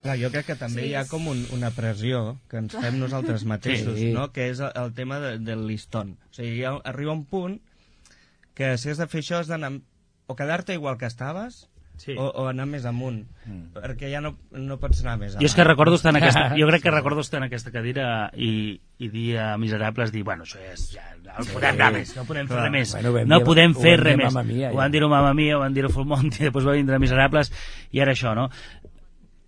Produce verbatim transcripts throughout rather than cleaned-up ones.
Clar, jo crec que també Sí, hi ha com un, una pressió que ens fem nosaltres mateixos, Sí. no? Que és el, el tema de, del listón. O sigui, ha, arriba un punt que si has de fer això has d'anar o quedar-te igual que estaves Sí. o, o anar més amunt, Mm. perquè ja no, no pots anar més Jo avall. és que recordo estar en aquesta, jo crec que recordo estar en aquesta cadira i, i dir a Miserables, dir, bueno, això ja és, ja, no podem anar més, no podem fer Clar. res més, Bueno, ho vam no dir- podem ho fer vam res dir a més. Mamma Mia, Ho ja. van dir a Mamma Mia, ho van dir a Full Monty, després va vindre Miserables, i ara això, no?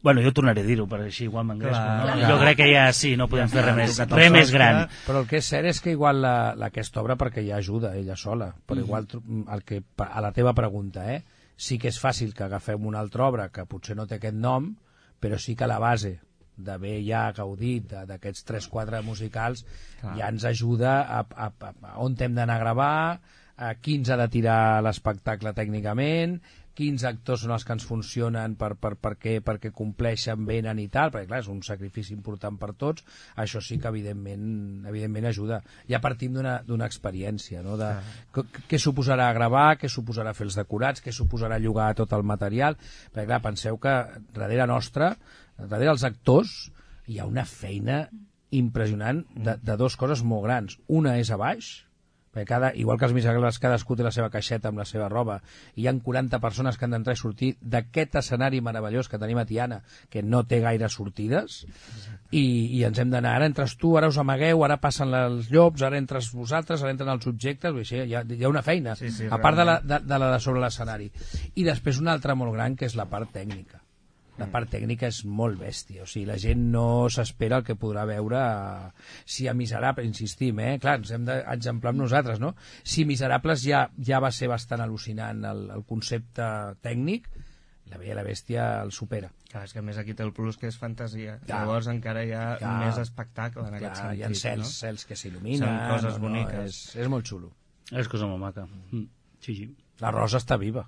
Bueno, jo tornaré a dir-ho, perquè així igual m'engresco, Clar, no? clar. Jo crec que ja sí, no podem fer res més, tocat el res més sostre. gran. Però el que és cert és que igual la, la aquesta obra, perquè ja ajuda ella sola, però Mm. igual tro- el que, a la teva pregunta, eh, sí que és fàcil que agafem una altra obra que potser no té aquest nom, però sí que la base d'haver ja gaudit de- d'aquests tres quatre musicals Clar. ja ens ajuda a, a, a, a on hem d'anar a gravar, a quins ha de tirar l'espectacle tècnicament, quins actors són els que ens funcionen per, per, perquè, perquè compleixen, venen i tal, perquè clar, és un sacrifici important per tots, això sí que evidentment, evidentment ajuda. Ja partim d'una d'una experiència, no? De, què, què suposarà gravar, què suposarà fer els decorats, què suposarà llogar tot el material, perquè clar, penseu que darrere nostra, darrere els actors, hi ha una feina impressionant de, de dues coses molt grans. Una és a baix, perquè cada, igual que els miserables, cadascú té la seva caixeta amb la seva roba, i hi ha quaranta persones que han d'entrar i sortir d'aquest escenari meravellós que tenim a Tiana, que no té gaire sortides, i, i ens hem d'anar, ara entres tu, ara us amagueu, ara passen els llops, ara entres vosaltres, ara entren els subjectes, vull dir, hi ha, hi ha una feina, Sí, sí, a part de la realment. de, de, la de sobre l'escenari. I després una altra molt gran, que és la part tècnica. La part tècnica és molt bèstia, o sigui, la gent no s'espera el que podrà veure a... si a Miserables, insistim, eh? Clar, ens hem d'exemplar amb nosaltres, no? Si Miserables ja, ja va ser bastant al·lucinant el, el concepte tècnic, La Bella i la Bèstia el supera. Clar, és que a més aquí té el plus que és fantasia. Clar. Llavors encara hi ha Clar. més espectacle en aquest Clar, sentit. hi ha cels, no? cels que s'il·luminen, Són coses no, no, boniques. és, és molt xulo. És cosa molt maca. Mm. Sí, sí. La Rosa està viva.